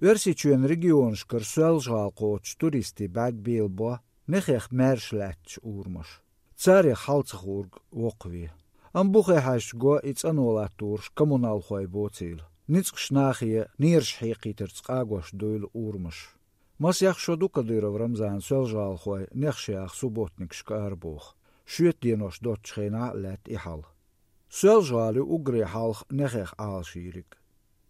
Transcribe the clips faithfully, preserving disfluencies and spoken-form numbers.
Оьрсийчоьнан регионашкара Соьлжа-ГӀала кхочучу туристийн бӀаьрг белабо нехех маьрша лаьтташ урамаш. Царех хьал ца хуург воккхаве. Амма бухе хьаьжча го и цӀано латтарш коммуналхой боцийла. Ницкъаш нахе нераш хьекхийтарца къагош дуйла урамаш. Масех шо ду Кадыров Рамзана соьлжа-гӀалахой нехаш яха субботникашка арабоху. Шоьтан денош доцучу хенахь а лаьтта и хьал. Соьлжа-ГӀала ю уггаре хьалха нехех Ӏалашйийриг.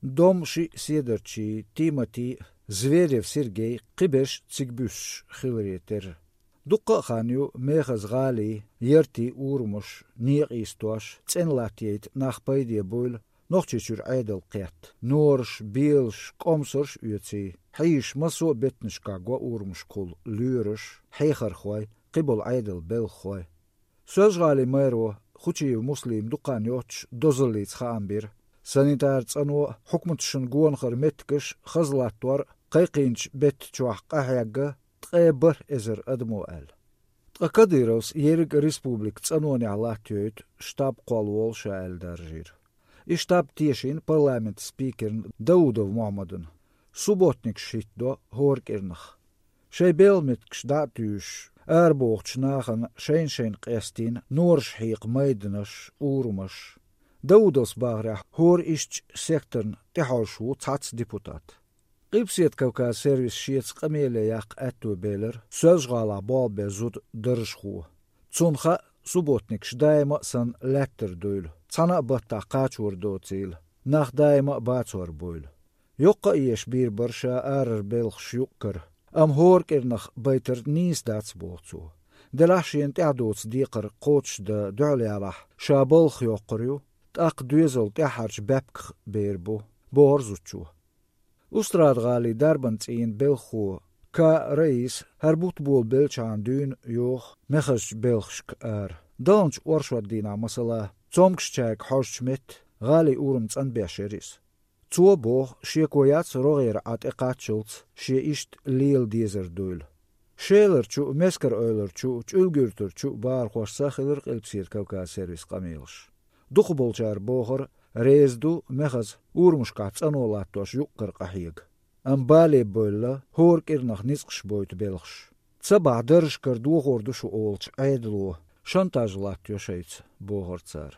Дом шиъ седарчий Тимати, Зверев Сергей кхиберш цига буьссуш хиларе терра. Дуккха а хан ю мехаза гӀалин, яртийн урамаш, некъа йистош, цӀена латта яйта нах пайде буйла, Нохчийчуьра Ӏедал кхетта. Нораш, белаш, кӀомсарш а оьций, хьийзаш массо а беттанашкахь го урамашкахула лоьраш, хьехархой, кхиболу Ӏедалан белхахой. Соьлжа-ГӀалин мэро Хучиев Муслима дукха хан йоццуш дозаллица хаам бира. Санитар цӀано а, хьукматашна гонахара меттигаш а хаза латтор а кхайкхийначу беттан чохь къахьегна ткъе бархӀ эзар адамо аьлла. Ткъа Кадыровс ерриг а республика цӀанонехь латтайойту штаб кхоллаволу ша аьлла даржийра. И штаб тешийна парламентан спикерна Даудов Мохьмадна. Субботникаш хӀиттадо хӀора кӀирнах. Шайн белхан меттигаш дӀа а туьйсуш, арабохучу нахана шайна-шайна къестийна нораш хьекха майданаш, урамаш. Даудовс бахарехь, хӀора ишттачу секторна тӀехьожуш ву цхьацца депутат. Къилбаседа Кавказ сервис шеца къамеле яккха аьтто белира Соьлжа-ГӀалахь болх бен зуда даржахо. Цунна хаьа, субботникаш даима а санна лаьттар дуйла, цхьана а баттахь кхачор доцийла, нах даима а бацор буйла. Йоккха а еш бийр бара ша арара белхаш юккъара, амма хӀора кӀирнах байтар нийса дац, боху цо. Делахь шена тӀаьхьа доцу декхар кхочушдан дуьхьал ялахь, ша балхах йоккхур ю, тӀаккха доьзал тӀаьххьарчу баьпках бер бу, бохура зудчо. Устрада-ГӀалин дарбан цӀийнан белхахо К. Раиса хӀара бутт болабеллачхьана дуьйна йоху мехазчу белхашка ара. Далначу оршот дийнахь, масала, цомгушчаьрга хьожучу метта гӀалин урам цӀанбеш яра иза. Цо боху, шеко яц рогӀера Ӏа тӀекхаччалц шен иштта лела дезар дуйла. Шеларчу а, Мескар-Эвларчу а, ЧӀуьлгуьртарчу а бахархошца хилира Къилбаседа Кавказ сервисан къамелаш. Дукхахболчара бохура, реза ду мехаза урамашкахь цӀано латтош юккъара къахьега. Амма бале бевлла, хӀора кӀирнах ницкъаш бойту белхаш. Ца бахь, даржашкара дохор ду шу олучу Ӏедало шантаж латтайо шайца, бохура цара.